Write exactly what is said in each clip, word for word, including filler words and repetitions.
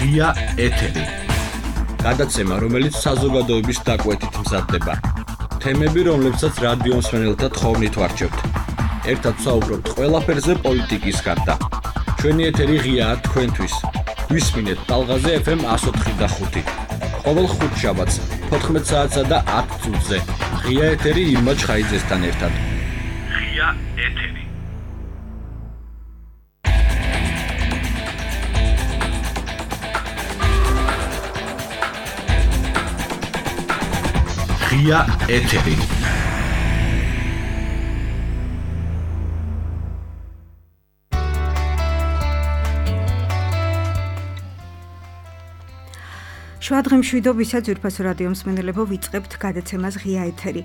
ღია ეთერი. გადაცემა, რომელიც საზოგადოების დაკვეთით მზადდება. თემები, რომლებსაც რადიო მსმენელთა თხოვნით ვარჩევთ. ერთად ვსაუბრობთ ყველაფერზე პოლიტიკის გარდა. ჩვენი ეთერი ღიაა თქვენთვის. ვისმინეთ ტალღაზე ეფ ემ εκατო ოთხი და ხუთი. ყოველ ხუთშაბათს თოთხმეტ საათსა და ათ წუთზე. ღია ეთერი ირმა ჩხაიძესთან ერთად. ღია ეთერი. ღია ეთერი. შვადღე მშვიდობისა ძვირფასო რადიო მსმენელებო, ვიწყებთ გადაცემას ღია ეთერი.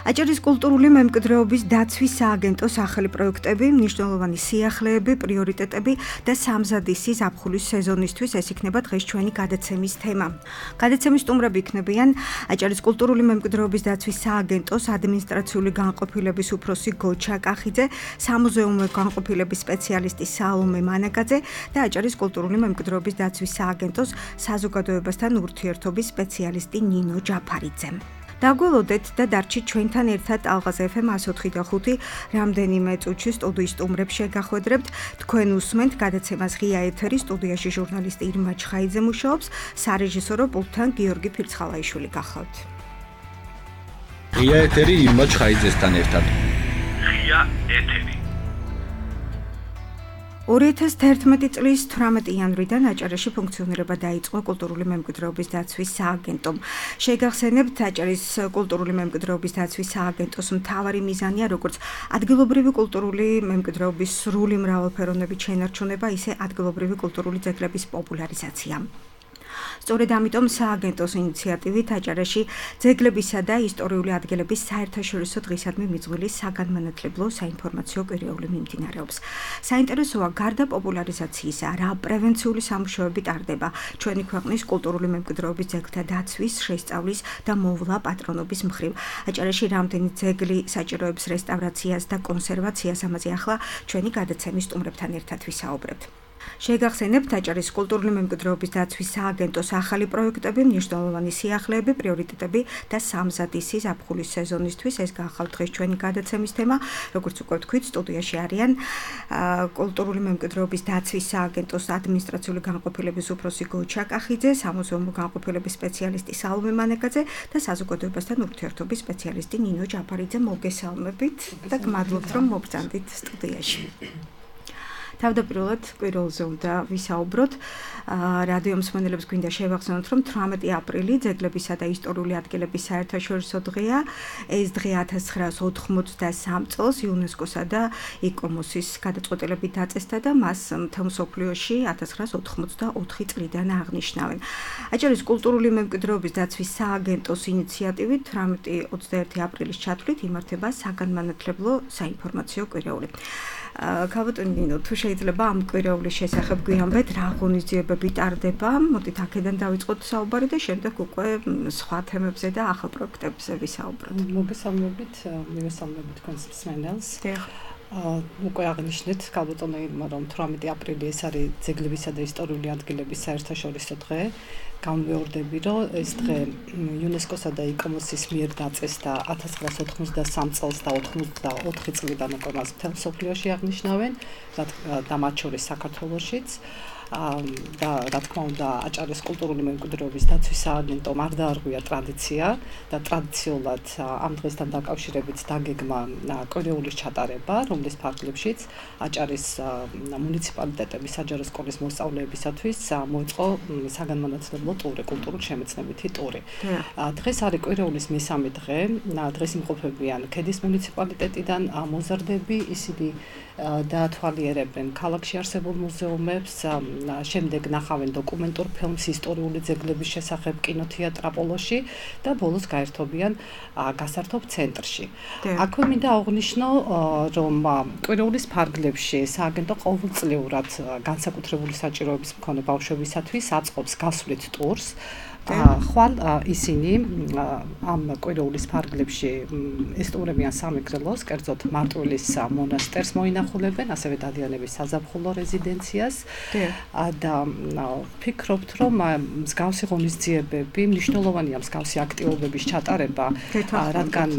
აჭარის კულტურული მემკვიდრეობის დაცვის სააგენტოს ახალი პროექტები, მნიშვნელოვანი სიახლეები, პრიორიტეტები და სამზადისი ზაფხულის სეზონისთვის ეს იქნება დღეს ჩვენი გადაცემის თემა. გადაცემის სტუმრები იქნებიან აჭარის კულტურული მემკვიდრეობის დაცვის სააგენტოს ადმინისტრაციული განყოფილების უფროსი გოჩა კახიძე, სამუზეუმო განყოფილების სპეციალისტი საალომე მანაგაძე და აჭარის კულტურული მემკვიდრეობის დაცვის სააგენტოს საზოგადოებასთან ურთიერთობის სპეციალისტი ნინო ჯაფარიძე. დაგველოდეთ და დარჩით ჩვენთან ერთად ტალღაზე ეფ ემ εκατო ოთხი და ხუთი რამდენიმე წუთში სტუდიის სტუმრებს შეგახვედრებთ. თქვენ უსმენთ გადაცემას ღია ეთერი, სტუდიაში ჟურნალისტი ირმა ჩხაიძე მუშაობს, სარეჟისორო პულტთან გიორგი ფირცხალაიშვილი გახლავთ. ღია ეთერი ირმა ჩხაიძესთან ერთად. ღია ეთერი. ორი ათას თერთმეტი წლის თვრამეტი იანვრიდან აჭარაში ფუნქციონირება დაიწყო კულტურული მემკვიდრეობის დაცვის სააგენტომ. შეგახსენებთ, აჭარის კულტურული მემკვიდრეობის დაცვის სააგენტოს მთავარი მიზანია როგორც ადგილობრივი კულტურული მემკვიდრეობის სრული მრავალფეროვნებით შენარჩუნება, ისე ადგილობრივი კულტურული ძეგლების პოპულარიზაცია. სწორედ ამიტომ სააგენტოს ინიციატივით აჭარაში ძეგლებისა და ისტორიული ადგილების საერთაშორისო დღისადმი მიძღვილი საგანმანათლებლო საინფორმაციო კვირეული მიმდინარეობს. საინტერესოა, გარდა პოპულარიზაციისა, რა პრევენციული სამუშაოები ტარდება ჩვენი ქვეყნის კულტურული მემკვიდრეობის ძეგლთა დაცვის, შესწავლის და მოვლა პატრონობის მხრივ. აჭარაში რამდენი ძეგლი საჭიროებს რესტავრაციას და კონსერვაციას, ამაზე ახლა ჩვენი გადაცემის სტუმრებთან ერთად ვისაუბრებთ. შეგახსენებთ, აჭარის კულტურული მემკვიდრეობის დაცვის სააგენტოს ახალი პროექტები, მნიშვნელოვანი სიახლეები, პრიორიტეტები და სამზადისი ზაფხულის სეზონისთვის. ეს გახლავთ დღეს ჩვენი გადაცემის თემა. როგორც უკვე ვთქვით, სტუდიაში არიან კულტურული მემკვიდრეობის დაცვის სააგენტოს ადმინისტრაციული განყოფილების უფროსი გოჩა კახიძე, სამუზეუმო განყოფილების სპეციალისტი საალომე მანაგაძე და საზოგადოებასთან ურთიერთობის სპეციალისტი ნინო ჯაფარიძე. მოგესალმებით და გმადლობთ, რომ მოგწანდით სტუდიაში. თავდაპირველად კვირველზე უნდა ვისაუბროთ. რადიო მსმენელებს გვინდა შევახსენოთ, რომ თვრამეტი აპრილი ძეგლებისა და ისტორიული ადგილების საერთაშორისო დღეა. ეს დღე ათას ცხრაას ოთხმოცდასამ წელს იუნესკოსა და იკომოსის გადაწყვეტილებით დაწესდა და მას მთელ მსოფლიოში ათას ცხრაას ოთხმოცდაოთხი წლიდან აღნიშნავენ. აჭარის კულტურული მემკვიდრეობის დაცვის სააგენტოს ინიციატივით თვრამეტი ოცდაერთი აპრილის ჩათვლით იმართება საგანმანათლებლო საინფორმაციო კვირეული. ქალბატონი ნინო, თუ შეიძლება ამ კვირეულის შესახებ გვიამბეთ, რა ღონისძიებები ტარდება? მოდით აქედან დავიწყოთ საუბარი და შემდეგ უკვე სხვა თემებზე და ახალ პროექტებზე ვისაუბროთ. მოგესალმებით, მივესალმებით თქვენს მსმენელს. უკვე აღნიშნეთ, ქალბატონო ირმა, რომ თვრამეტი აპრილი ეს არის ძეგლებისა და ისტორიული ადგილების საერთაშორისო დღე. გამვეორდები, რომ ეს დღე იუნესკოსა და იკომოსის მიერ დაწესდა ათას ცხრაას ოთხმოცდასამ წელს და ოთხმოცდაოთხი წლიდან უკვე მას მთელ მსოფლიოში აღნიშნავენ და მათ შორის საქართველოშიც. და რა თქმა უნდა, აჭარის კულტურული მემკვიდრეობის დაცვის სააგენტომ არ დაარღვია ტრადიცია და ტრადიციულად ამ დღესთან დაკავშირებით დაგეგმა კვირეულის ჩატარება, რომლის ფარგლებშიც აჭარის მუნიციპალიტეტების საჯარო სკოლის მოსწავლეებისათვის მოეწყო საგანმანათლებლო ტური, კულტურულ-შემეცნებითი ტური. დღეს არის კვირეულის მესამე დღე. დღეს იმყოფებიან ქედის მუნიციპალიტეტიდან მოზარდები, ისინი დაათვალიერებენ ქალაქში არსებულ მუზეუმებს, შემდეგ ნახავენ დოკუმენტურ ფილმს ისტორიული ძეგლების შესახებ კინოთეატრაპოლოში და ბოლოს გაერთობიან გასართობ ცენტრში. აქვე მინდა აღვნიშნო, რომ კვირეულის ფარგლებში სააგენტო ყოველწლიურად განსაკუთრებული საჭიროების მქონე ბავშვებისათვის აწყობს გასვლით ტურს. ხვალ ისინი ამ კვირეულის ფარგლებში ესტუმრებიან სამეგრელოს, კერძოდ მარტვილის მონასტერს მოინახავენ ასახულებენ, ასევე დადიანების საზაფხულო რეზიდენციას და ვფიქრობთ, რომ მსგავსი ღონისძიებები მნიშვნელოვანია მსგავსი აქტივობების ჩატარება, რადგან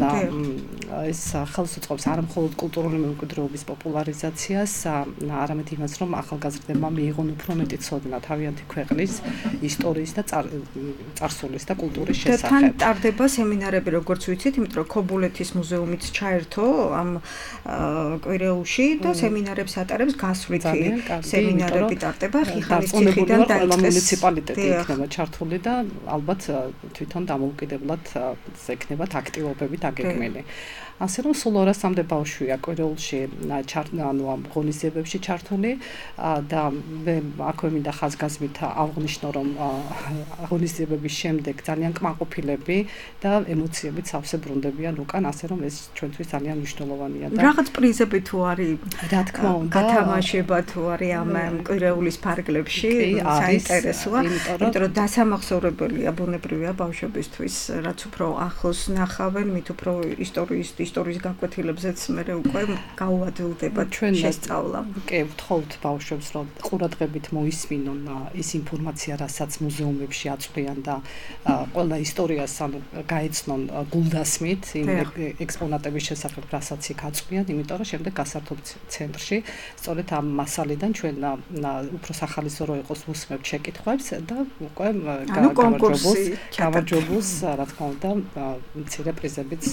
ეს ხელს უწყობს არა მხოლოდ კულტურული მემკვიდრეობის პოპულარიზაციას, არამედ იმას, რომ ახალგაზრდებმა მიიღონ უფრო მეტი ცოდნა თავიანთი ქვეყნის ისტორიის და წარსულის და კულტურის შესახებ. თან ტარდება სემინარები, როგორც ვიცით, იმიტომ რომ ქობულეთის მუზეუმიც ჩაერთო ამ კვირეულში და სემინარებს ატარებს გასვლითი სემინარები ტარდება ხიხალის ციხიდან დაიწყეს მუნიციპალიტეტი იქნება ჩართული და ალბათ თვითონ დამოუკიდებლად ექნებათ აქტივობები დაგეგმილი. ასე რომ სულ ორასამდე ბავშვია კვირეულში ანუ ამ ღონისძიებებში ჩართული და მე აქვე მინდა ხაზგასმით აღვნიშნო, რომ ღონისძიებების შემდეგ ძალიან კმაყოფილები და ემოციებით სავსე ბრუნდებიან უკან, ასე რომ ეს ჩვენთვის ძალიან მნიშვნელოვანია და რაღაც პრიზები თუ არის, რა თქმა უნდა, გათამაშება თუ არის ამ კვირეულის ფარგლებში, საინტერესოა, იმიტომ რომ დასამახსოვრებელია ბუნებრივია ბავშვებისთვის, რაც უფრო ახლოს ნახავენ, მით უფრო ისტორიის ისტორიის გაკვეთილებზეც მე უკვე გაუადვილდება შესწავლა. კი, ვთხოვთ ბავშვებს, რომ ყურადღებით მოისმინონ ის ინფორმაცია, რასაც მუზეუმებში აწვდიან და ყველა ისტორიას ანუ გაეცნონ გულდასმით იმ ექსპონატების შესახებ, რასაც იქ აწვდიან, იმიტომ რომ შემდეგ გასართობ ცენტრში სწორედ ამ მასალიდან ჩვენ უფრო სახალისო რო იყოს ვუსმებთ შეკითხვებს და უკვე გამარჯვებულს გამარჯვებულს რა თქმა უნდა მცირე პრიზებიც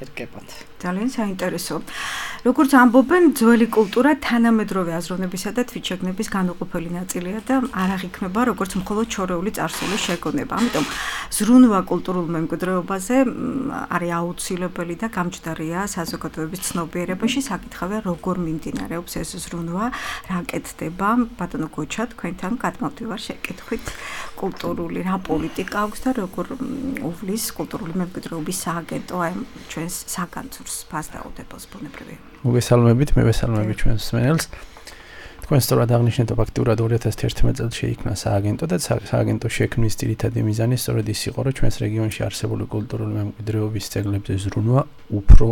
ერგებათ. ძალიან საინტერესო. როგორც ამბობენ, ძველი კულტურა თანამედროვე აზროვნებისა და თვითშეგნების განუყოფელი ნაწილია და არ აღიქმება როგორც მხოლოდ შორეული წარსულის შეგონება. ამიტომ ზრუნვა კულტურულ მემკვიდრეობაზე არის აუცილებელი და გამჯდარია საზოგადოების ცნობიერებაში. საკითხავია, როგორ მიმდინარეობს ეს ზრუნვა, რა კეთდება. ბატონო გოჩა, თქვენთან გადმოვდივარ შეკითხვით კულტურული რა პოლიტიკა აქვს და როგორ უვლის კულტურული მემკვიდრეობის სააგენტო აი ჩვენ საგანძურს ფასდაუდებელს ბუნებრივია. მოგესალმებით, მე ვესალმები ჩვენს მსმენელს. თქვენ სწორად აღნიშნეთ, ფაქტურად ორი ათას ერთმეტ წელს შეიქმნა სააგენტო და სააგენტო შექმნის ძირითადი მიზანი სწორედ ის იყო, რომ ჩვენს რეგიონში არსებული კულტურული მემკვიდრეობის ძეგლებზე ზრუნვა უფრო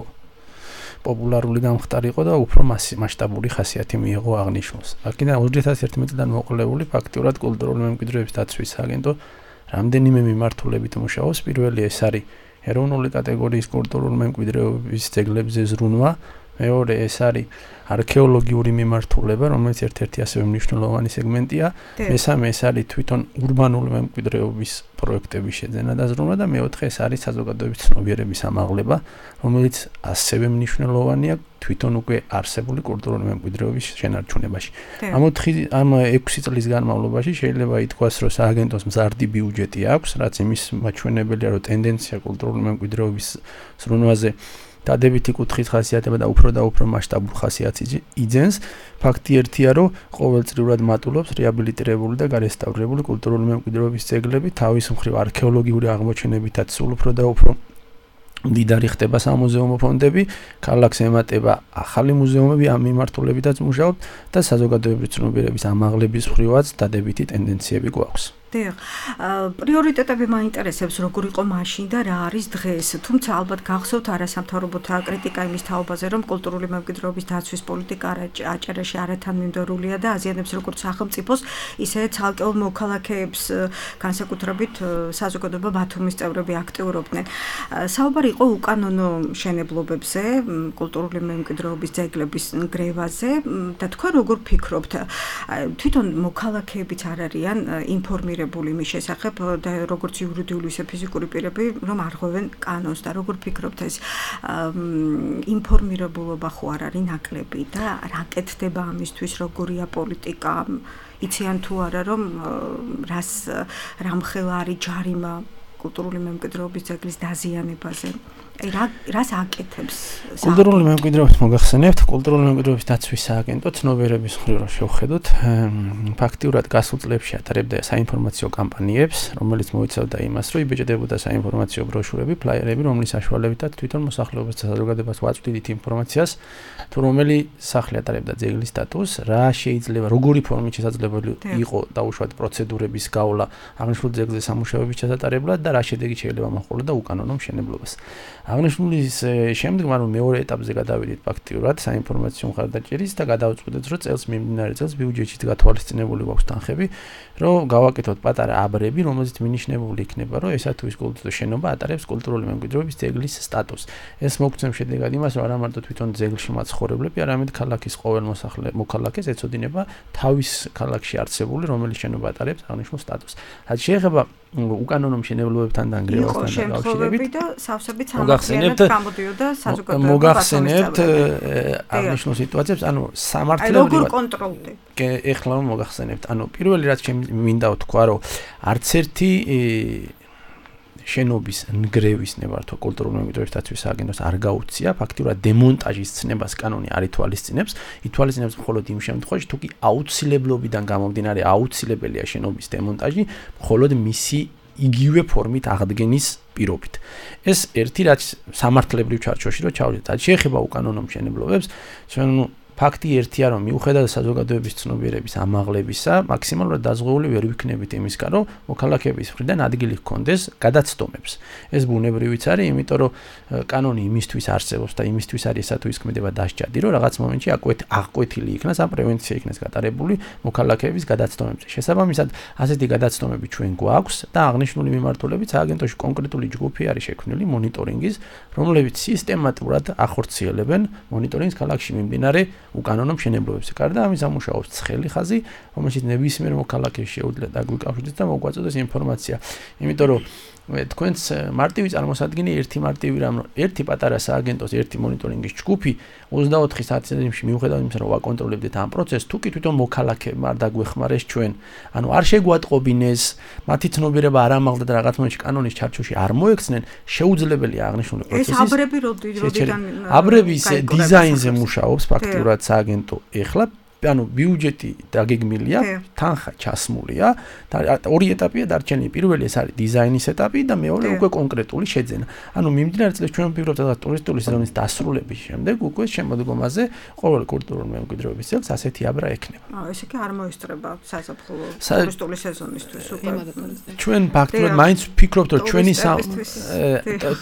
პოპულარული გამხდარიყო და უფრო მასშტაბური ხასიათი მიიღო აღნიშნულს. აქედან ორი ათას ერთმეტ წლიდან მოყოლებული ფაქტურად კულტურული მემკვიდრეობის დაცვის სააგენტო რამდენიმე მიმართულებით მუშაობს. პირველი ეს არის ეროვნული კატეგორიის კულტურული მემკვიდრეობის ძეგლებზე ზრუნვა, მეორე ეს არის არქეოლოგიური მიმართულება, რომელიც ერთ-ერთი ასევე მნიშვნელოვანი სეგმენტია, მესამე ეს არის თვითონ ურბანული მემკვიდრეობის პროექტების შეძენა და ზრუნვა და მეოთხე ეს არის საზოგადოების ცნობიერების ამაღლება, რომელიც ასევე მნიშვნელოვანია თვითონ უკვე არსებული კულტურული მემკვიდრეობის შენარჩუნებაში. ამ ოთხი ამ ექვსი წლის განმავლობაში შეიძლება ითქვას, რომ სააგენტოს მზარდი ბიუჯეტი აქვს, რაც იმის მაჩვენებელია, რომ ტენდენცია კულტურული მემკვიდრეობის ზრუნვაზე დადებითი კუთხის ხასიათება და უფრო და უფრო მასშტაბურ ხასიათს იძენს. ფაქტი ერთია, რომ ყოველწლიურად მატულობს რეაბილიტირებული და გარესტავრირებული კულტურული მემკვიდრეობის ძეგლები, თავის მხრივ არქეოლოგიური აღმოჩენებითაც სულ უფრო და უფრო მდიდარი ხდება სამუზეუმო ფონდები, ქალაქს ემატება ახალი მუზეუმები, ამ მიმართულებითაც მუშაობთ და საზოგადოებრივი ცნობიერების ამაღლების მხრივაც დადებითი ტენდენციები გვაქვს. დიახ, პრიორიტეტები მაინტერესებს, როგორ იყო მაშინ და რა არის დღეს. თუმცა ალბათ გახსოვთ არასამთავრობოთა კრიტიკა იმის თაობაზე, რომ კულტურული მემკვიდრეობის დაცვის პოლიტიკა აჭარაში არათანმიმდევრულია და აზიანებს როგორც სახელმწიფოს, ისე ცალკეულ მოქალაქეებს, განსაკუთრებით საზოგადოება ბათუმის წევრები აქტიურობდნენ. საუბარი იყო უკანონო მშენებლობებზე, კულტურული მემკვიდრეობის ძეგლების ნგრევაზე და თქვენ როგორ ფიქრობთ, თვითონ მოქალაქეებიც არ არიან ინფორმირებული მის შესახებ და როგორც იურიდიული ისე ფიზიკური პირები რომ არღვევენ კანონს და როგორ ფიქრობთ ეს ინფორმირებულობა ხო არ არის ნაკლები და რა კეთდება ამისთვის, როგორია პოლიტიკა, იციან თუ არა რომ რას რამხელა არის ჯარიმა კულტურული მემკვიდრეობის ძეგლის დაზიანებაზე. აი რა რას აკეთებს კულტურული მემკვიდრეობის მოგახსენებთ, კულტურული მემკვიდრეობის დაცვის სააგენტო ცნობიერების მხრივ რო შევხედოთ, ფაქტიურად გასულ წლებში ატარებდა საინფორმაციო კამპანიებს, რომელიც მოიცავდა იმას, რომ იბეჭდებოდა საინფორმაციო ბროშურები, ფლაიერები, რომლის საშუალებითაც თვითონ მოსახლეობას და საზოგადოებას ვაწვდით ინფორმაციას, თუ რომელი სახლი ატარებდა ძეგლის სტატუსს, რა შეიძლება, როგორი ფორმით შესაძლებელი იყო დაუშვათ პროცედურების გავლა აღნიშნულ ძეგლზე სამუშაოების ჩატარებლად და რა შედეგი შეიძლება მოჰყოლოდა უკანონო მშენებლობას. აღნიშნულის შემდგომ ანუ მეორე ეტაპზე გადავიდით ფაქტიურად საინფორმაციო მხარდაჭერის და გადავწყვეტეთ, რომ წელს მიმდინარე წელს ბიუჯეტში გათვალისწინებული გვაქვს თანხები, რომ გავაკეთოთ პატარა აბრები, რომელზეც მინიშნებული იქნება, რომ ესა თუ ის კულტურის შენობა ატარებს კულტურული მემკვიდრეობის ძეგლის სტატუსს. ეს მოგცემ შედეგად იმას, რომ არა მარტო თვითონ ძეგლში მაცხოვრებლები, არამედ ქალაქის ყოველ მოსახლე მოქალაქეს ეწოდინება თავის ქალაქში არსებული, რომელიც შენობა ატარებს აღნიშნულ სტატუსს. რაც შეეხება უკანონო მშენებლობებთან და ნანგრევასთან დაკავშირებით და სავსებით სამართლიანად გამოდიოდა საზოგადოება. მოგახსენებთ აღნიშნულ სიტუაციებს, ანუ სამართლებრივად როგორ კონტროლდება? ეხლა მოგახსენებთ. ანუ პირველი რაც მინდა ვთქვა, რომ არც ერთი შენობის ნგრევის ნებართვა კულტურული მემკვიდრეობის დაცვის სააგენტოს არ გაუწია, ფაქტიურად დემონტაჟის ცნებას კანონი არ ითვალისწინებს, ითვალისწინებს მხოლოდ იმ შემთხვევაში, თუ კი აუცილებლობიდან გამომდინარე აუცილებელია შენობის დემონტაჟი, მხოლოდ მისი იგივე ფორმით აღდგენის პირობით. ეს ერთი რაც სამართლებრივ ჩარჩოში რო ჩავდეთ. რაც შეეხება უკანონო მშენებლობებს, ჩვენ ფაქტი ერთია, რომ მიუხედავად საზოგადოების ცნობიერების ამაღლებისა, მაქსიმალურად დაზღვეული ვერ ვიქნებით იმისგან, რომ მოქალაქეების მხრიდან ადგილი ჰქონდეს გადაცდომებს. ეს ბუნებრივიც არის, იმიტომ რომ კანონი იმისთვის არსებობს და იმისთვის არის ესა თუ ის ქმედება დასჯადი, რომ რაღაც მომენტში აღკვეთილი იქნას ან პრევენცია იქნას გატარებული მოქალაქეების გადაცდომებზე. შესაბამისად, ასეთი გადაცდომები ჩვენ გვაქვს და აღნიშნული მიმართულებით სააგენტოში კონკრეტული ჯგუფი არის შექმნილი მონიტორინგის, რომლებიც სისტემატურად ახორციელებენ მონიტორინგს ქალაქში მიმდინარე უკანონო მშენებლობებზე. გარდა ამის ამუშავებს ცხელი ხაზი, რომელშიც ნებისმიერ მოქალაქეს შეუძლია დაგვიკავშირდეს და მოგვაწოდოს ინფორმაცია. იმიტომ რომ თქვენს მარტივი წარმოსადგენი ერთი მარტივი რამ, ერთი პატარა სააგენტოს ერთი მონიტორინგის ჯგუფი ოცდაოთხი საათის მიუხედავად იმისა, რომ ვაკონტროლებდეთ ამ პროცესს, თუ კი თვითონ მოქალაქეებმა არ დაგვეხმარეს ჩვენ, ანუ არ შეგვატყობინეს, მათი ცნობიერება არ ამაღლდა და რაღაც მომენტში კანონის ჩარჩოში არ მოექცნენ, შეუძლებელია აღნიშნული პროცესის. ეს აბრები როდიდან აბრების დიზაინზე მუშაობს ფაქტიურად სააგენტო ეხლა ანუ ბიუჯეტი დაგეგმილია, თანხა ჩასმულია და ორი ეტაპია დარჩენილი. პირველი ეს არის დიზაინის ეტაპი და მეორე უკვე კონკრეტული შეძენა. ანუ მიმდინარე წელს ჩვენ ვფიქრობთ, რომ ტურისტული სეზონის დასრულების შემდეგ უკვე შემოდგომაზე ყოველ კულტურული მემკვიდრეობის ძეგლს ასეთი აბრა ექნება. აა ესე კი არ მოესწრება საზაფხულო ტურისტული სეზონისთვის უკვე. ჩვენ ფაქტობრივად მაინც ვფიქრობთ, რომ ჩვენი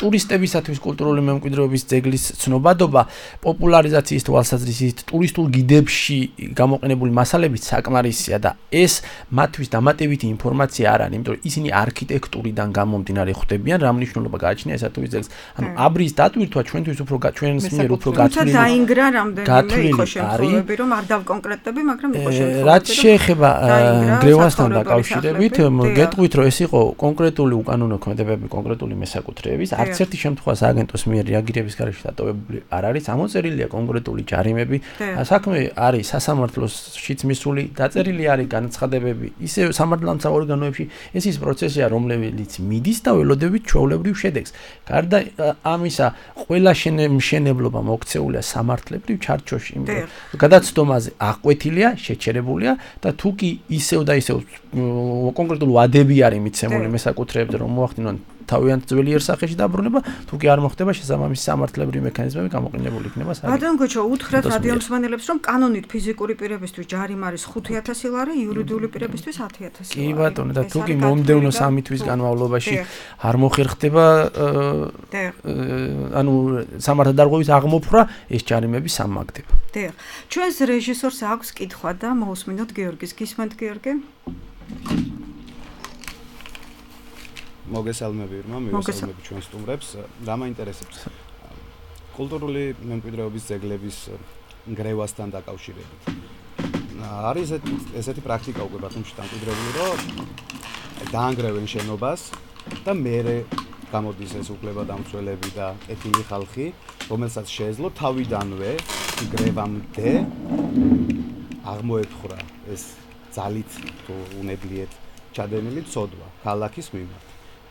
ტურისტებისათვის კულტურული მემკვიდრეობის ძეგლის ცნობადობა პოპულარიზაციის თვალსაზრისით ტურისტულ გიდებში გამოყენებული მასალებით საკმარისია და ეს მათთვის დამატებითი ინფორმაცია არ არის, იმიტომ რომ ისინი არქიტექტურიდან გამომდინარე ხვდებიან, რა მნიშვნელობა გააჩნია ესა თუ ის ძეგლს. ანუ აბრის დატვირთვა ჩვენთვის უფრო ჩვენს მიერ უფრო გათვლილი. თუმცა დაინგრა რამდენიმე იყო შემთხვევები, რომ არ დავკონკრეტები, მაგრამ იყო შემთხვევები. რაც შეეხება ნგრევასთან დაკავშირებით, გეტყვით, რომ ეს იყო კონკრეტული უკანონო ქმედებები, კონკრეტული მესაკუთრეების, არც ერთი შემთხვევა სააგენტოს მიერ რეაგირების გარეშე დატოვებული არ არის, ამოწერილია კონკრეტული ჯარიმები. საქმე არის სასამართლოშიც მისული, დაწერილი არის განცხადებები, ისე სამართალდამცავ ორგანოებში. ეს ის პროცესია, რომელიც მიდის და ველოდებით ჩვეულებრივ შედეგს. გარდა ამისა, ყველა მშენებლობა მოქცეულია სამართლებრივ ჩარჩოში, იმიტომ რომ გადაცდომაზე აღკვეთილია, შეჩერებულია და თუ კი ისევ და ისევ კონკრეტული ვადები არის მიცემული მესაკუთრეებზე, რომ მოახდინონ თავიანთ ძველი იერსახეში დაბრუნება, თუ კი არ მოხდება შესაბამისი სამართლებრივი მექანიზმები გამოყენებული იქნება სააგენტოს. ბატონ გოჩო, უთხრათ რადიო მსმენელებს, რომ კანონით ფიზიკური პირებისთვის ჯარიმა არის ხუთი ათასი ლარი, იურიდიული პირებისთვის ათი ათასი ლარი. კი ბატონო, და თუ კი მომდევნო სამი თვის განმავლობაში არ მოხერხდება ანუ სამართალდარღვევის აღმოფხვრა, ეს ჯარიმები სამაგდება. დიახ. ჩვენს რეჟისორს აქვს კითხვა და მოусმინოთ გიორგის. გისმენთ გიორგი? მოგესალმები ირმა, მივესალმები ჩვენ სტუმრებს. რა მაინტერესებს კულტურული მემკვიდრეობის ძეგლების ნგრევასთან დაკავშირებით. არის ესეთი პრაქტიკა უკვე ბათუმში დამკვიდრებული, რომ დაანგრევენ შენობას და მერე გამოდის ეს უფლებადამცველები და ეთილი ხალხი, რომელსაც შეეძლო თავიდანვე ნგრევამდე აღმოეფხვრა ეს ძალით თუ უნებლიეთ ჩადენილი ცოდვა ქალაქის მიმართ.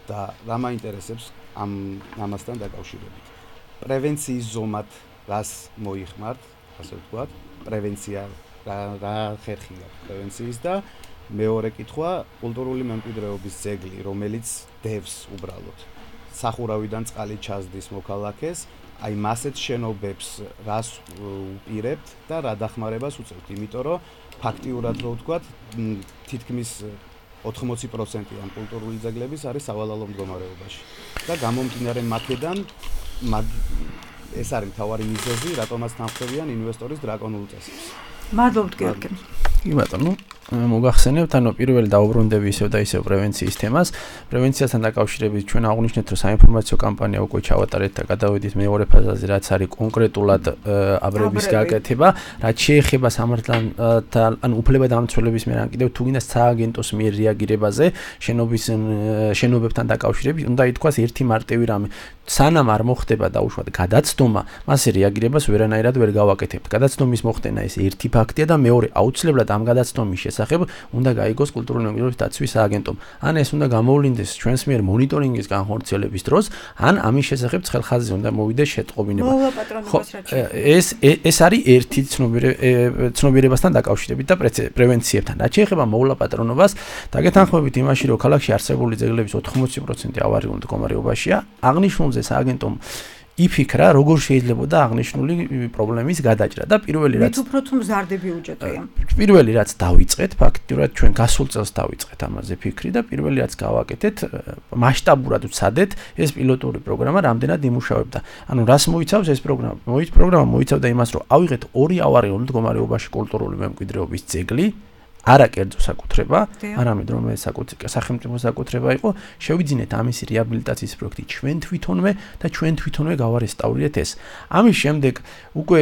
და რა მაინტერესებს ამ ამასთან დაკავშირებით. პრევენციის ზომად რას მოიხმართ, ასე ვთქვათ, პრევენცია რა რა ხერხია პრევენციის და მეორე კითხვა, კულტურული მემკვიდრეობის ძეგლი, რომელიც დევს უბრალოდ სახურავიდან წყალი ჩასდის მოქალაქეს, აი მასეთ შენობებს რას უპირებთ და რა დახმარებას უწევთ, იმიტომ რომ ფაქტიურად რო ვთქვათ, თითქმის ოთხმოცი პროცენტი ამ კულტურული ძეგლების არის სავალალო მდგომარეობაში და გამომდინარე მაქედან ეს არის მთავარი მიზეზი, რატომაც თანხმდებიან ინვესტორის დრაკონულ წესებს. მადლობთ გიორგი. კი ბატონო, მოგახსენებთ, ანუ პირველი დაუბრუნდები ისევ და ისევ პრევენციის თემას. პრევენციასთან დაკავშირებით ჩვენ აღვნიშნეთ, რომ საინფორმაციო კამპანია უკვე ჩავატარეთ და გადავედით მეორე ფაზაზე, რაც არის კონკრეტულად აბრების გაკეთება, რაც შეეხება სამართალთან, ანუ უფლებადამცველების მიერ ან კიდევ თუ გინდა სააგენტოს მიერ რეაგირებაზე, შენობის შენობებთან დაკავშირებით, უნდა ითქვას ერთი მარტივი რამე. სანამ არ მოხდება დაუშვათ გადაცდომა, მასე რეაგირებას ვერანაირად ვერ გავაკეთებთ. გადაცდომის მოხდენა ეს ერთი ფაქტია და მეორე აუცილებლად ამ გადაცდომის შესახებ უნდა გაიგოს კულტურული მემკვიდრეობის დაცვის სააგენტომ. ან ეს უნდა გამოვლინდეს ჩვენს მიერ მონიტორინგის განხორციელების დროს, ან ამის შესახებ ცხელხაზზე უნდა მოვიდეს შეტყობინება. ეს ეს არის ერთი ცნობიერებასთან დაკავშირებით და პრევენციებთან. რაც შეეხება მოვლაპატრონობას, დაგეთანხმებით იმაში, რომ ქალაქში არსებული ძეგლების ოთხმოცი პროცენტი ავარიულ მდგომარეობაშია, აღნიშნულ სააგენტომ იფიქრა, როგორ შეიძლება და აღნიშნული პრობლემის გადაჭრა და პირველი რაც მით უფრო თუ მზარდები უჯეტია. პირველი რაც დავიწყეთ, ფაქტიურად ჩვენ გასულ წელს დავიწყეთ ამაზე ფიქრი და პირველი რაც გავაკეთეთ, მასშტაბურად ვცადეთ, ეს პილოტური პროგრამა რამდენად იმუშავებდა. ანუ რას მოიცავს ეს პროგრამა? მოიც პროგრამა მოიცავდა იმას, რომ ავიღეთ ორი ავარიულ მდგომარეობაში კულტურული მემკვიდრეობის ძეგლი, არა კერძო საკუთრება, არამედ რომელიც სახელმწიფო საკუთრება იყო, შევიძინეთ ამის რეაბილიტაციის პროექტი ჩვენ თვითონვე და ჩვენ თვითონვე გავარესტავრირეთ ეს. ამის შემდეგ უკვე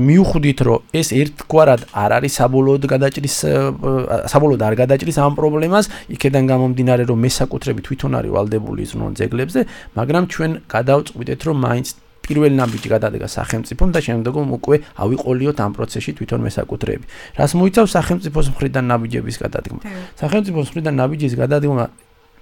მიუხვდით, რომ ეს ერთგვარად არ არის საბოლოოდ გადაჭრის საბოლოოდ არ გადაჭრის ამ პრობლემას, იქედან გამომდინარე, რომ მესაკუთრები თვითონ არის ვალდებული ზრუნონ ძეგლებზე, მაგრამ ჩვენ გადავწყვიტეთ, რომ მაინც პირველი ნაბიჯი გადადგა სახელმწიფომ და შემდგომ უკვე ავიყოლიოთ ამ პროცესში თვითონ მესაკუთრეები. რას მოიცავს სახელმწიფოს მხრიდან ნაბიჯების გადადგმა? სახელმწიფოს მხრიდან ნაბიჯის გადადგმა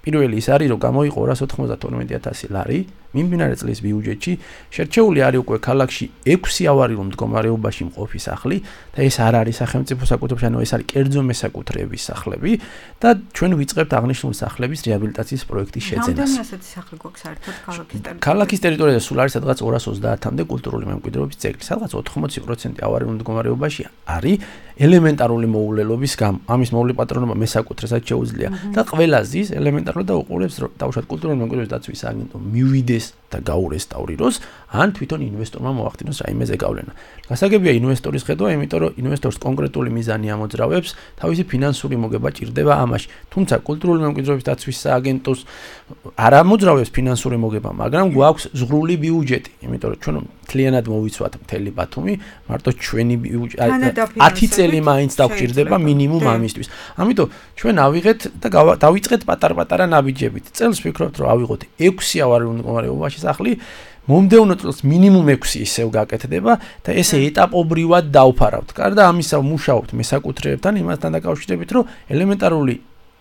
პირველი ის არის, რომ გამოიყო ორას ოთხმოცდათორმეტი ათასი ლარი მიმდინარე წლის ბიუჯეტში, შერჩეული არის უკვე ქალაქში ექვსი ავარიულ მდგომარეობაში მყოფი სახლი და ეს არ არის სახელმწიფო საკუთრებაში, ანუ ეს არის კერძო მესაკუთრეების სახლები და ჩვენ ვიწყებთ აღნიშნული სახლების რეაბილიტაციის პროექტის შეძენას. რამდენი ასეთი სახლი გვაქვს საერთოდ ქალაქის ტერიტორიაზე? ქალაქის ტერიტორიაზე სულ არის სადღაც ორას ოცდაათამდე კულტურული მემკვიდრეობის ძეგლი, სადღაც ოთხმოცი პროცენტი ავარიულ მდგომარეობაში არის ელემენტარული მოულელობის გამო. ამის მოვლაპატრონობა მესაკუთრესაც შეუძლია და ყველა ზის ელემენტარულად და უყურებს, რომ დაუშვათ კულტურული მემკვიდრეობის დაცვის სააგენტო მივიდეს და გაურესტავრიროს, ან თვითონ ინვესტორმა მოახდინოს რაიმე ზეგავლენა. გასაგებია ინვესტორის ხედვა, იმიტომ რომ ინვესტორს კონკრეტული მიზანი ამოძრავებს, თავისი ფინანსური მოგება ჭირდება ამაში. თუმცა კულტურული მემკვიდრეობის დაცვის სააგენტოს არ ამოძრავებს ფინანსური მოგება, მაგრამ გვაქვს ზღვრული ბიუჯეტი, იმიტომ რომ ჩვენ მთლიანად მოვიცვათ მთელი ბათუმი, მარტო ჩვენი ბიუჯეტი ათი წელი მაინც დაგჭირდება მინიმუმ ამისთვის. ამიტომ ჩვენ ავიღეთ და დავიწყეთ პატარ-პატარა ნაბიჯებით. წელს ვფიქრობთ, რომ ავიღოთ ექვსი ავარიულ მდგომარეობაში სახლი, მომდევნო წელს მინიმუმ ექვსი ისევ გაკეთდება და ესე ეტაპობრივად დავფარავთ. გარდა ამისა ვმუშაობთ მესაკუთრეებთან იმასთან დაკავშირებით, რომ ელემენტარული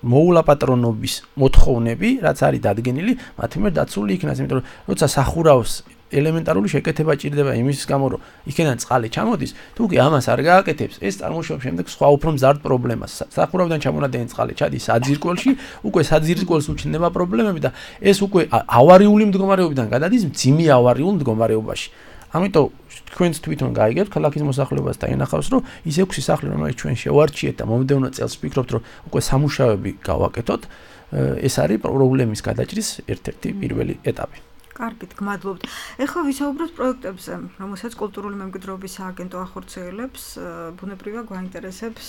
მოულაპატრონობის მოთხოვნები, რაც არის დადგენილი, მათი მიერ დაცული იქნას, იმიტომ რომ როცა სახურავს ელემენტარული შეკეთება ჭირდება იმის გამო, რომ იქიდან წყალი ჩამოდის, თუ კი ამას არ გააკეთებს, ეს წარმოშობს შემდეგ სხვა უფრო მზარდ პრობლემას. სახურავიდან ჩამონადენი წყალი ჩადის საძირკველში, უკვე საძირკველს უჩნდება პრობლემები და ეს უკვე ავარიული მდგომარეობიდან გადადის მძიმე ავარიულ მდგომარეობაში. ამიტომ თქვენც თვითონ გაიგებთ ქალაქის მოსახლეობას და ენახავს, რომ ის ექვსი სახლი, რომელიც ჩვენ შევარჩიეთ და მომდევნო წელს ვფიქრობთ, რომ უკვე სამუშაოები გავაკეთოთ, ეს არის პრობლემის გადაჭრის ერთ-ერთი პირველი ეტაპი. კარგით, გმადლობთ. ეხლა ვისაუბროთ პროექტებზე, რომელსაც კულტურული მემკვიდრეობის სააგენტო ახორციელებს. ბუნებრივია გვაინტერესებს,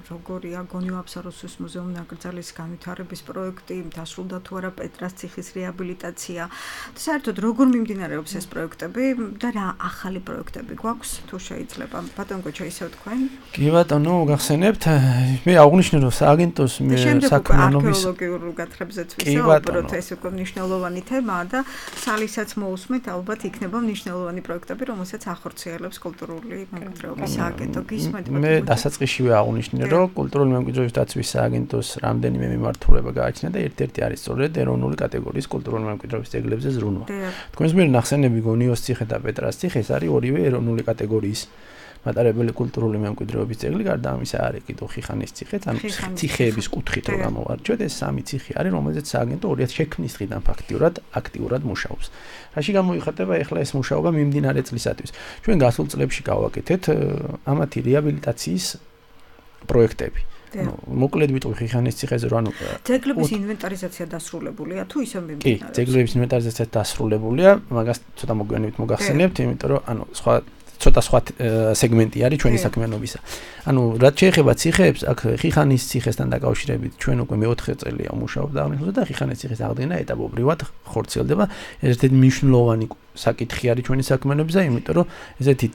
როგორია გონიო აბსაროსის მუზეუმ ნაკრძალის განვითარების პროექტი, დასრულდა თუ არა პეტრას ციხის რეაბილიტაცია. და საერთოდ როგორ მიმდინარეობს ეს პროექტები და რა ახალი პროექტები გვაქვს, თუ შეიძლება. ბატონ გოჩა, ისევ თქვენ? კი ბატონო, გახსენებთ. მე აღვნიშნე, რომ სააგენტოს საქმიანობის არქეოლოგიურ გათხრებზეც ვისაუბროთ, ეს უკვე მნიშვნელოვანი თემაა და სალისაც მოусმეთ, ალბათ იქნება მნიშვნელოვანი პროექტები, რომელსაც ახორციელებს კულტურული მემკვიდრეობის სააგენტო. გისმენთ? მე დასაწყისშივე აღვნიშნე, რომ კულტურული მემკვიდრეობის დაცვის სააგენტოს რამდენიმე მიმართულება გააჩნია და ერთ-ერთი არის სწორედ ეროვნული კატეგორიის კულტურული მემკვიდრეობის ძეგლებზე ზრუნვა. თქვენს მიერ ნახსენები გონიოს ციხე და პეტრას ციხე, ეს არის ორივე ეროვნული კატეგორიის მატარებელი კულტურული მემკვიდრეობის ძეგლი, გარდა ამისა არის კიდევ ხიხანის ციხეც, ანუ ციხეების კუთხით რო გამოვარჩიოთ, ეს სამი ციხე არის, რომელზეც სააგენტო ორი ათი შექმნის დღიდან ფაქტიურად აქტიურად მუშაობს. რაში გამოიხატება ახლა ეს მუშაობა მიმდინარე წლისათვის? ჩვენ გასულ წლებში გავაკეთეთ ამათი რეაბილიტაციის პროექტები. მოკლედ ვიტყვი ხიხანის ციხეზე რომ ანუ ძეგლების ინვენტარიზაცია დასრულებულია თუ ისე მიმდინარეობს? კი, ძეგლების ინვენტარიზაცია დასრულებულია, მაგას ცოტა მოგვიანებით მოგახსენებთ, იმიტომ რომ ანუ სხვა ცოტა სხვა სეგმენტი არის ჩვენი საქმიანობისა. ანუ რაც შეეხება ციხეებს, აქ ხიხანის ციხესთან დაკავშირებით ჩვენ უკვე მეოთხე წელია ვმუშაობთ აღნიშნულზე და ხიხანის ციხის აღდგენა ეტაპობრივად ხორციელდება. ერთ-ერთი მნიშვნელოვანი საკითხი არის ჩვენი საქმიანობისა, იმიტომ რომ ესეთი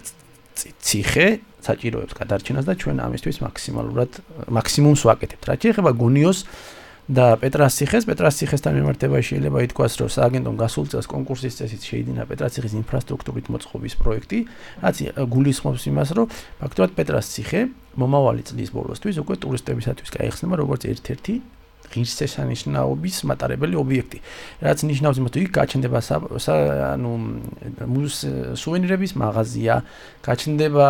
ციხე საჭიროებს გადარჩენას და ჩვენ ამისთვის მაქსიმალურად მაქსიმუმს ვაკეთებთ. რაც შეეხება გონიოს და პეტრას ციხეს, პეტრას ციხესთან მიმართებაში შეიძლება ითქვას, რომ სააგენტომ გასულ წელს კონკურსის წესით შეიდინა პეტრას ციხის ინფრასტრუქტურით მოწყობის პროექტი, რაც გულისხმობს იმას, რომ ფაქტობრივად პეტრას ციხე მომავალი წლის ბოლოსთვის უკვე ტურისტებისათვის გაიხსნება როგორც ერთ-ერთი ღირსშესანიშნაობის მატარებელი ობიექტი. რაც ნიშნავს იმას, რომ იქ გაჩნდება ანუ სუვენირების მაღაზია, გაჩნდება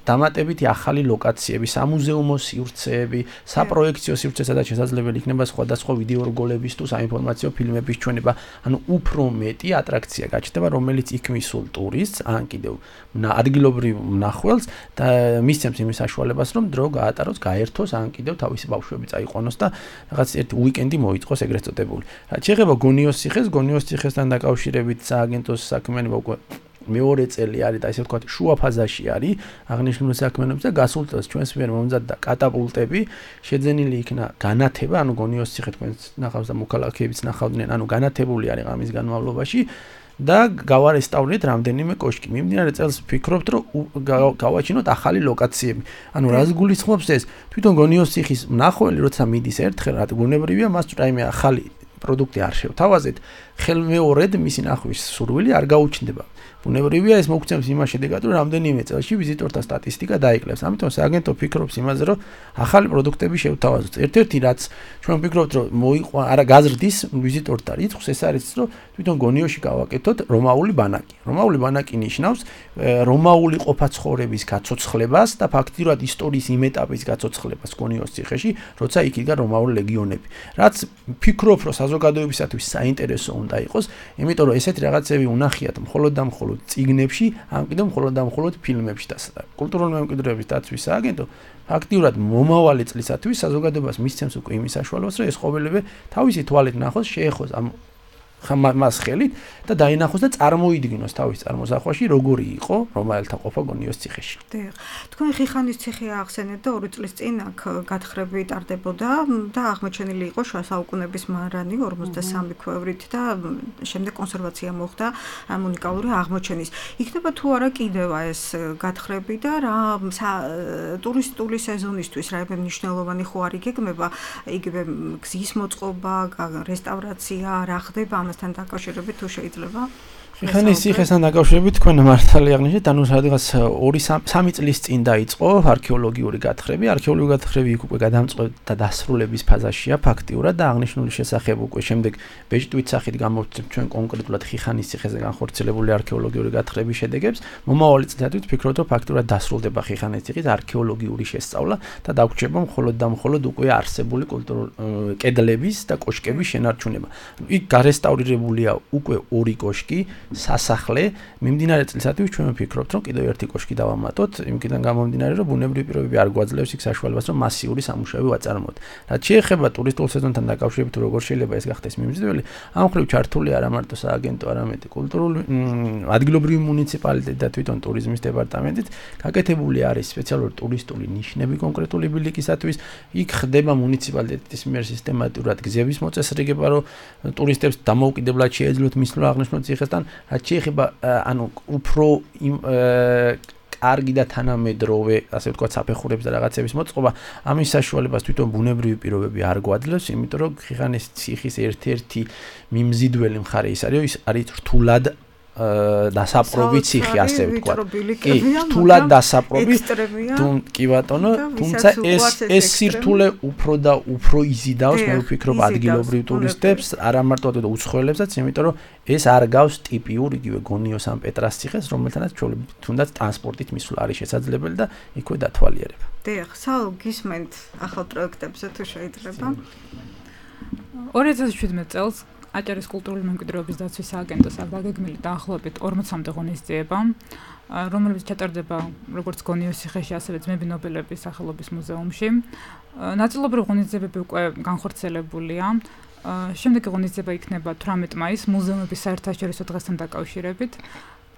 დამატებითი ახალი ლოკაციები, სამუზეუმო სივრცეები, საპროექციო სივრცე, სადაც შესაძლებელი იქნება სხვადასხვა ვიდეო რგოლების თუ საინფორმაციო ფილმების ჩვენება, ანუ უფრო მეტი ატრაქცია გაჩნდება, რომელიც იქ მისულ ტურისტს, ან კიდევ ადგილობრივ მნახველს და მისცემს იმის საშუალებას, რომ დრო გაატაროს, გაერთოს, ან კიდევ თავისი ბავშვები წაიყვანოს და რაღაც ერთი უიკენდი მოიწყოს ეგრეთ წოდებული. რაც შეეხება გონიოს ციხეს, გონიოს ციხესთან დაკავშირებით სააგენტოს საქმიანობა უკვე მეორე წელი არის და ესე ვთქვათ შუა ფაზაში არის აღნიშნული საქმიანობის და გასულ წელს ჩვენს მიერ მომზადდა კატაპულტები, შეძენილი იქნა განათება, ანუ გონიოს ციხე თქვენს ნახავს და მოქალაქეებიც ნახავდნენ, ანუ განათებული არის ამის განმავლობაში. და გავარესტავრეთ რამდენიმე კოშკი. მიმდინარე წელს ვფიქრობთ, რომ გავაჩინოთ ახალი ლოკაციები. ანუ რას გულისხმობს ეს? თვითონ გონიოს ციხის მნახველი, როცა მიდის ერთხელ, რა გუნებრივია, მას რაიმე ახალი პროდუქტი არ შევთავაზეთ, ხელმეორედ მისი ნახვის სურვილი არ გაუჩნდება. ბუნებრივია ეს მოგცემს იმას შედეგად, რომ რამდენიმე წელში ვიზიტორთა სტატისტიკა დაიკლებს. ამიტომ სააგენტო ფიქრობს იმაზე, რომ ახალი პროდუქტები შევთავაზოთ. ერთ-ერთი რაც ჩვენ ვფიქრობთ, რომ მოიყვა არა გაზრდის ვიზიტორთა რიცხვს, ეს არის, რომ თვითონ გონიოში გავაკეთოთ რომაული ბანაკი. რომაული ბანაკი ნიშნავს რომაული ყოფაცხოვრების გაცოცხლებას და ფაქტიურად ისტორიის იმ ეტაპის გაცოცხლებას გონიოს ციხეში, როცა იქ იდგა რომაული ლეგიონები. რაც ფიქრობ, რომ საზოგადოებისათვის საინტერესო უნდა იყოს, იმიტომ რომ ესეთი რაღაცები უნახიათ მხოლოდ და მხოლოდ წიგნებში, ან კიდევ მხოლოდ და მხოლოდ ფილმებში და კულტურული მემკვიდრეობის დაცვის სააგენტო ფაქტიურად მომავალი წლისათვის საზოგადოებას მისცემს უკვე იმის საშუალებას, რომ ეს ყოველივე თავისი თვალით ნახოს, შეეხოს ამ მას ხელით და დაინახოს და წარმოიდგინოს თავის წარმოსახვაში როგორი იყო რომაელთა ყოფა გონიოს ციხეში. დიახ. თქვენ ხიხანის ციხე ახსენეთ და ორი წლის წინ აქ გათხრები ტარდებოდა და აღმოჩენილი იყო შუა საუკუნეების მარანი ორმოცდასამი ქვევრით და შემდეგ კონსერვაცია მოხდა ამ უნიკალური აღმოჩენის. იქნება თუ არა კიდევ ეს გათხრები და რა ტურისტული სეზონისთვის რაიმე მნიშვნელოვანი ხო არ იგეგმება, იგივე გზის მოწყობა, რესტავრაცია, რა ხდება თან დაკავშირებით თუ შეიძლება? ხიხანის ციხესთან დაკავშირებით თქვენ მართალი აღნიშნეთ, ანუ სადღაც ორი სამი წლის წინ დაიწყო არქეოლოგიური გათხრები. არქეოლოგიური გათხრები იქ უკვე გადამწყვეტ და დასრულების ფაზაშია ფაქტიურად და აღნიშნული შესახებ უკვე შემდეგ ბეჭდვით სახით გამოვცემთ ჩვენ კონკრეტულად ხიხანის ციხეზე განხორციელებული არქეოლოგიური გათხრების შედეგებს. მომავალი წლისათვის ვფიქრობთ, რომ ფაქტიურად დასრულდება ხიხანის ციხის არქეოლოგიური შესწავლა და დაგვრჩება მხოლოდ და მხოლოდ უკვე არსებული კულტურული კედლების და კოშკების შენარჩუნება. იქ გარესტავრირებულია უკვე ორი კოშკი, სასახლე. მიმდინარე წლისათვის ჩვენ ვფიქრობთ, რომ კიდევ ერთი კოშკი დავამატოთ, იმკიდან გამომდინარე, რომ ბუნებრივი პირობები არ გვაძლევს იქ საშუალებას, რომ მასიური სამუშაოები ვაწარმოოთ. რაც შეეხება ტურისტულ სეზონთან დაკავშირებით, როგორ შეიძლება ეს გახდეს მიმზიდველი, ამ მხრივ ჩართული არა მარტო სააგენტო, არამედ კულტურული ადგილობრივი მუნიციპალიტეტი და თვითონ ტურიზმის დეპარტამენტიც გაკეთებული არის სპეციალური ტურისტული ნიშნები კონკრეტული ბილიკისათვის. იქ ხდება მუნიციპალიტეტის მიერ სისტემატურად გზების მოწესრიგება, რომ ტურისტებს დამოუკიდებლად შეეძლოთ მისვლა აღნიშნულ ციხესთან. რაც შეეხება ანუ უფრო კარგი და თანამედროვე, ასე ვთქვათ, საფეხურების და რაღაცების მოწყობა, ამის საშუალებას თვითონ ბუნებრივი პირობები არ გვაძლევს, იმიტომ რომ ხიხანის ციხის ერთ-ერთი მიმზიდველი მხარე ის არის, ის არის რთულად დასაპრობი ციხე, ასე ვთქვათ. კი, რთულად დასაპრობი. კი ბატონო, თუმცა ეს ეს სირთულე უფრო და უფრო იზიდავს, მე ვფიქრობ, ადგილობრივ ტურისტებს, არა მარტო უცხოელებსაც, იმიტომ რომ ეს არ გავს ტიპიურ იგივე გონიოს ან პეტრას ციხეს, რომელთანაც თუნდაც ტრანსპორტით მისვლა არის შესაძლებელი და იქვე დათვალიერება. დიახ, საულ გისმენთ ახალ პროექტებზე თუ შეიძლება? ორი ათას შვიდმეტ წელს აჭარის კულტურული მემკვიდრეობის დაცვის სააგენტოს აქ დაგეგმილი დაახლოებით ორმოცამდე ღონისძიება, რომელიც ჩატარდება როგორც გონიოს ციხეში, ასევე ძმები ნობელების სახელობის მუზეუმში. ნაწილობრივ ღონისძიებები უკვე განხორციელებულია. შემდეგი ღონისძიება იქნება თვრამეტ მაისს მუზეუმების საერთაშორისო დღესთან დაკავშირებით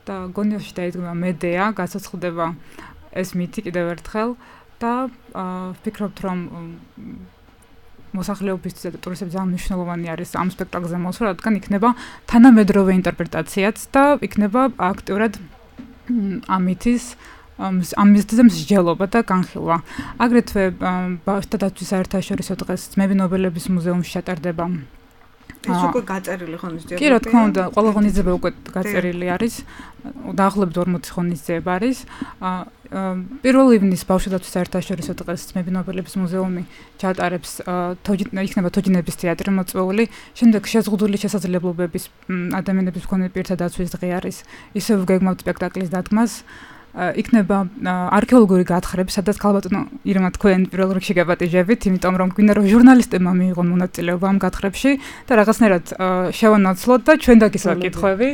და გონიოსში დაიდგება მედეა, გასაცხდება ეს მითი კიდევ ერთხელ და ვფიქრობთ, რომ მოსახლეობისთვის და ტურისტებს ძალიან მნიშვნელოვანი არის ამ სპექტაკლზე მოსვლა, რადგან იქნება თანამედროვე ინტერპრეტაციაც და იქნება აქტიურად ამ მითის ამ მიზეზზე მსჯელობა და განხილვა. აგრეთვე ბავშვთა დაცვის საერთაშორისო დღეს ძმები ნობელების მუზეუმში ჩატარდება. ეს უკვე გაწერილი ღონისძიება. კი, რა თქმა უნდა, ყველა ღონისძიება უკვე გაწერილი არის. დაახლოებით ორმოცი ღონისძიება არის. პირველ ივნის ბავშვთა დაცვის საერთაშორისო დღეს ძმები ნობელების მუზეუმი ჩატარებს იქნება თოჯინების თეატრი მოწვეული. შემდეგ შეზღუდული შესაძლებლობების ადამიანების მქონე პირთა დაცვის დღე არის. ისევ გეგმავთ სპექტაკლის დადგმას. იქნება არქეოლოგიური გათხრები, სადაც ქალბატონო ირმა თქვენ პირველ რიგში გაპატიჟებით, იმიტომ რომ გვინდა რომ ჟურნალისტებმა მიიღონ მონაწილეობა ამ გათხრებში და რაღაცნაირად შევანაცვლოთ და ჩვენ დაგისვათ კითხვები.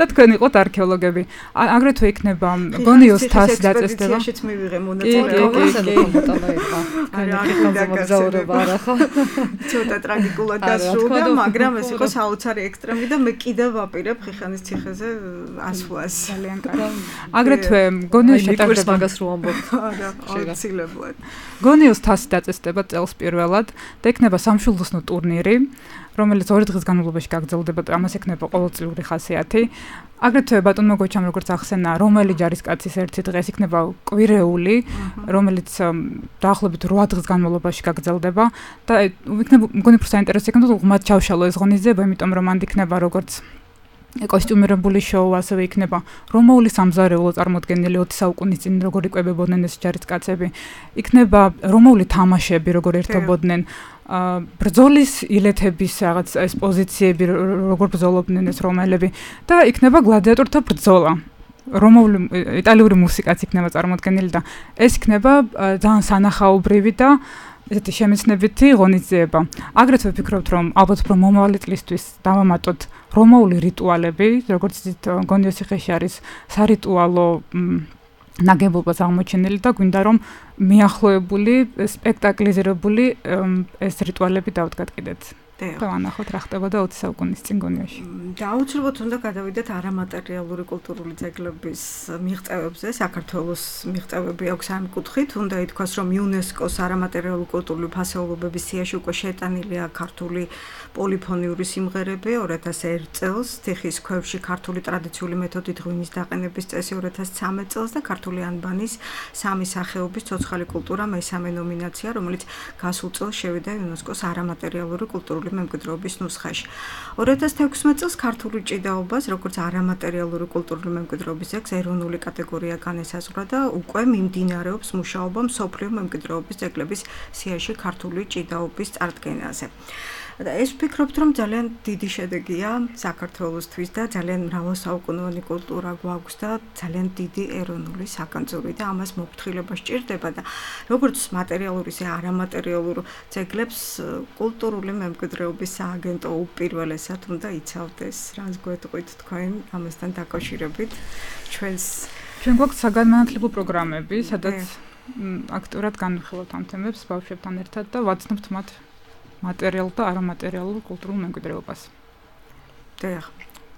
და თქვენ იყოთ არქეოლოგები. აგრეთვე იქნება გონიოს თასი დაწესდება. ციხეშიც მივიღე მონაწილეობა. ცოტა ტრაგიკულად დასრულდა, მაგრამ ეს იყო საოცარი ექსტრემი და მე კიდევ ვაპირებ ხიხანის ციხეზე ასვლას. ძალიან კარგი. აგრეთვე გონიოს ჩატარდება მაგას რო ამბობ. არა, აუცილებლად. გონიოს თასი დაწესდება წელს პირველად და იქნება სამშვილდოსნო ტურნირი, რომელიც ორი დღის განმავლობაში გაგრძელდება და ამას ექნება ყოველწლიური ხასიათი. აგრეთვე ბატონმა გოჩამ როგორც ახსენა, რომელი ჯარისკაცის ერთი დღე იქნება კვირეული, რომელიც დაახლოებით რვა დღის განმავლობაში გაგრძელდება და იქნება მგონი უფრო საინტერესო იქნება ღმად ჩავშალო ეს ღონისძიება, იმიტომ რომ მანდ იქნება როგორც კოსტიუმირებული შოუ, ასევე იქნება რომაული სამზარეულო წარმოდგენილი ოცი საუკუნის წინ როგორ იკვებებოდნენ ეს ჯარისკაცები, იქნება რომაული თამაშები როგორ ერთობოდნენ, ბრძოლის ილეთების რაღაც ეს პოზიციები როგორ ბრძოლობდნენ ეს რომაელები და იქნება გლადიატორთა ბრძოლა. რომაული იტალიური მუსიკაც იქნება წარმოდგენილი და ეს იქნება ძალიან სანახაობრივი და ესეთი შემეცნებითი ღონისძიება. აგრეთვე ვფიქრობთ, რომ ალბათ უფრო მომავალი წლისთვის დავამატოთ რომაული რიტუალები, როგორც იცით, გონიოს ციხეში არის სარიტუალო ნაგებობაც აღმოჩენილი და გვინდა რომ მიახლოებული, სპექტაკლიზირებული ეს რიტუალები დავდგათ კიდეც. და ვანახოთ რა ხდებოდა ოცი საუკუნის წინ გონიაში. და აუცილებლად უნდა გადავიდეთ არამატერიალური კულტურული ძეგლების მიღწევებზე. საქართველოს მიღწევები აქვს ამ კუთხით. უნდა ითქვას, რომ იუნესკოს არამატერიალური კულტურული ფასეულობების სიაში უკვე შეტანილია ქართული პოლიფონიური სიმღერები ორ ათას ერთ წელს, თიხის ქვევში ქართული ტრადიციული მეთოდით ღვინის დაყენების წესი ორ ათას ცხრამეტ წელს და ქართული ანბანის სამი სახეობის ცოცხალი კულტურა მესამე ნომინაცია, რომელიც გასულ წელს შევიდა იუნესკოს არამატერიალური კულტურული მემკვიდრეობის ნუსხაში. ორ ათას თექვსმეტ წელს ქართული ჭიდაობას, როგორც არამატერიალური კულტურული მემკვიდრეობის ძეგლს ეროვნული კატეგორია განესაზღვრა და უკვე მიმდინარეობს მუშაობა მსოფლიო მემკვიდრეობის ძეგლების სიაში ქართული ჭიდაობის წარდგენაზე. და ეს ვფიქრობთ, რომ ძალიან დიდი შედეგია საქართველოსთვის და ძალიან მრავალსაუკუნოვანი კულტურა გვაქვს და ძალიან დიდი ეროვნული საგანძური და ამას მოფრთხილება სჭირდება და როგორც მატერიალური ისე არამატერიალურ ძეგლებს კულტურული მემკვიდრეობის სააგენტო უპირველესად უნდა იცავდეს. რას გვეტყვით თქვენ ამასთან დაკავშირებით? ჩვენს ჩვენ გვაქვს საგანმანათლებლო პროგრამები, სადაც აქტიურად განვიხილავთ ამ თემებს ბავშვებთან ერთად და ვაცნობთ მათ მატერიალურ და არამატერიალურ კულტურულ მემკვიდრეობას. დიახ.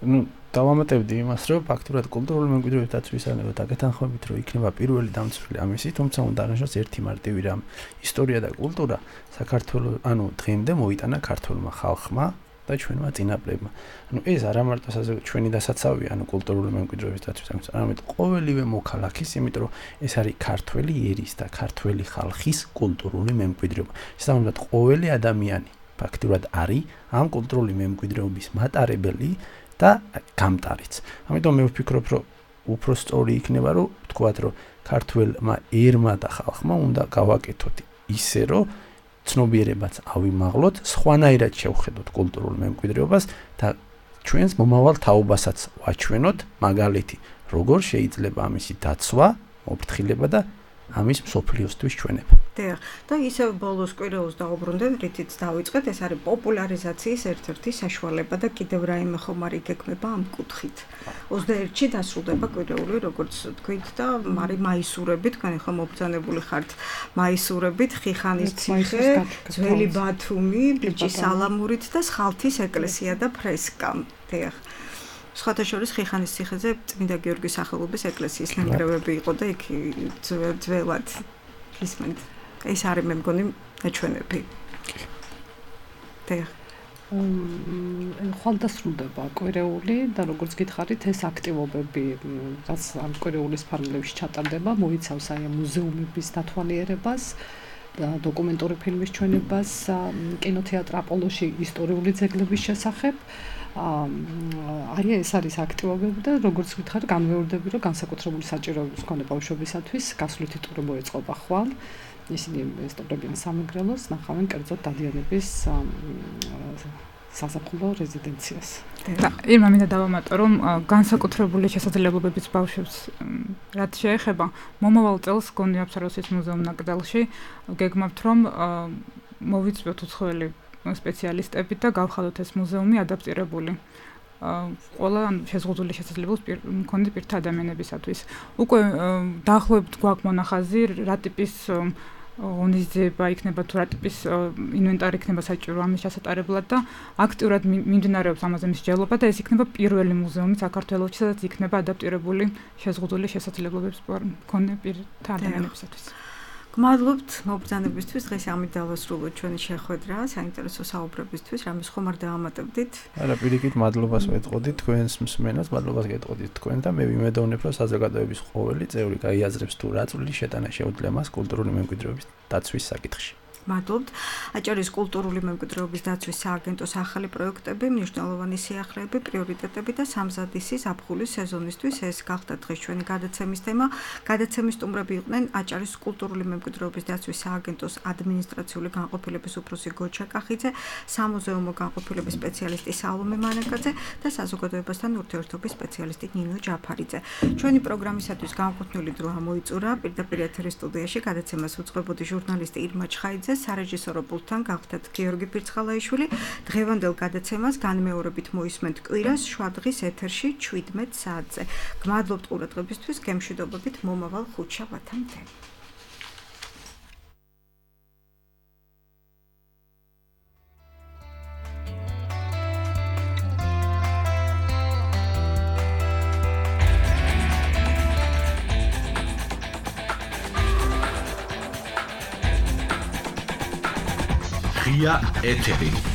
ნუ დავამატებდი იმას, რომ ფაქტურად კულტურული მემკვიდრეობის დაცვისანებო დაგეთანხმებით, რომ იქნება პირველი დამცველი ამისი, თუმცა უნდა აღნიშნოს ერთი მარტივი რამ. ისტორია და კულტურა საქართველოს, ანუ დღემდე მოიტანა ქართულმა ხალხმა და ჩვენმა წინაპრებმა. ანუ ეს არა მარტო ჩვენი დასაცავია, ანუ კულტურული მემკვიდრეობის დაცვის, არამედ ყოველივე მოქალაქის, იმიტომ რომ ეს არის ქართველი ერის და ქართველი ხალხის კულტურული მემკვიდრეობა. შესაბამისად, ყოველი ადამიანი ფაქტურად არის ამ კულტურული მემკვიდრეობის მატარებელი და გამტარიც. ამიტომ მე ვფიქრობ, რომ უფრო სწორი იქნება, რომ ვთქვათ, რომ ქართველმა ერმა და ხალხმა უნდა გავაკეთოთ ისე, რომ ცნობიერებაც ავიმაღლოთ, სხვანაირად შევხედოთ კულტურულ მემკვიდრეობას და ჩვენს მომავალ თაობასაც ვაჩვენოთ, მაგალითი, როგორ შეიძლება ამისი დაცვა, მოფრთხილება და ამის მსოფლიოსთვის ჩვენება. დიახ, და ისევ ბოლოს კვირეულს დაუბრუნდეთ, რითიც დავიწყეთ, ეს არის პოპულარიზაციის ერთ-ერთი საშუალება და კიდევ რაიმე ხომ არ იგეგმება ამ კუთხით. ოცდაერთში დასრულდება კვირეული, როგორც თქვით და მარი მაისურებით, თქვენ ხო მობრძანებული ხართ მაისურებით, ხიხანის ციხე, ძველი ბათუმი, ბიჭი სალამურით და სხალთის ეკლესია და ფრესკა. დიახ. სხვათა შორის ხიხანის ციხეზე წმინდა გიორგის სახელობის ეკლესიის ნანგრევები იყო და იქ ძველად ისმენთ. ეს არის მე მგონი ნაჩვენები. დიახ. ხვალ დასრულდება კვირეული და როგორც გითხარით, ეს აქტივობები, რაც ამ კვირეულის ფარგლებში ჩატარდება, მოიცავს აი მუზეუმების დათვალიერებას და დოკუმენტური ფილმის ჩვენებას, კინოთეატრ აპოლოში ისტორიული ძეგლების შესახებ. აი ეს არის აქტივობები და როგორც ვითხარ, განმეორდები, რომ განსაკუთრებული საჭიროების მქონე ბავშვებისათვის გასვლითი ტური მოეწყობა ხვალ. ისინი ესწორებიან სამეგრელოს, ნახავენ კერძოდ დადიანების საზაფხულო რეზიდენციას. და ირმა მინდა დავამატო, რომ განსაკუთრებული შესაძლებლობების ბავშვებს რაც შეეხება, მომავალ წელს გონი აფსაროსის მუზეუმ ნაკრძალში გეგმავთ, რომ მოვიწვიოთ უცხოელი სპეციალისტები და გავხადოთ ეს მუზეუმი ადაპტირებული. ყველა შეზღუდული შესაძლებლობის მქონე პირთა ადამიანებისათვის. უკვე დაახლოებით გვაქვს მონახაზი, რა ტიპის ღონისძიება იქნება თუ რა ტიპის ინვენტარი იქნება საჭირო ამის ჩასატარებლად და აქტიურად მიმდინარეობს ამაზე მსჯელობა და ეს იქნება პირველი მუზეუმი საქართველოში, სადაც იქნება ადაპტირებული შეზღუდული შესაძლებლობების მქონე პირთა ადამიანებისათვის. გმადლობთ მობრძანებისთვის, დღეს ამით დავასრულოთ ჩვენი შეხვედრა, საინტერესო საუბრებისთვის, რამის ხომ არ დაამატებდით? არა, პირიქით მადლობას ვეტყოდით თქვენს მსმენელს, მადლობას გეტყოდით თქვენ და მე ვიმედოვნებ, რომ საზოგადოების ყოველი წევრი გაიაზრებს თუ რა წვლილი შეტანა შეუძლია მას კულტურული მემკვიდრეობის დაცვის საკითხში. მადლობთ. აჭარის კულტურული მემკვიდრეობის დაცვის სააგენტოს ახალი პროექტები, მნიშვნელოვანი სიახლეები, პრიორიტეტები და სამზადისი ზაფხულის სეზონისთვის ეს გახდა დღეს ჩვენი გადაცემის თემა. გადაცემის სტუმრები იყვნენ აჭარის კულტურული მემკვიდრეობის დაცვის სააგენტოს ადმინისტრაციული განყოფილების უფროსი გოჩა კახიძე, სამუზეუმო განყოფილების სპეციალისტი სალომე მანაკაძე და საზოგადოებასთან ურთიერთობის სპეციალისტი ნინო ჯაფარიძე. ჩვენი პროგრამისათვის განკუთვნილი დრო ამოიწურა. პირდაპირ ეთერის სტუდიაში გადაცემას უწყებოდი ჟურნალისტი ირმა ჩხაიძე, სარეჟისორო პულტთან გავხდათ გიორგი ფირცხალაიშვილი. დღევანდელ გადაცემას განმეორებით მოისმენთ კვირას შვადღის ეთერში შვიდმეტ საათზე. გმადლობთ ყურადღებისთვის, გემშვიდობებით მომავალ ხუთშაბათამდე. ღია ეთერი.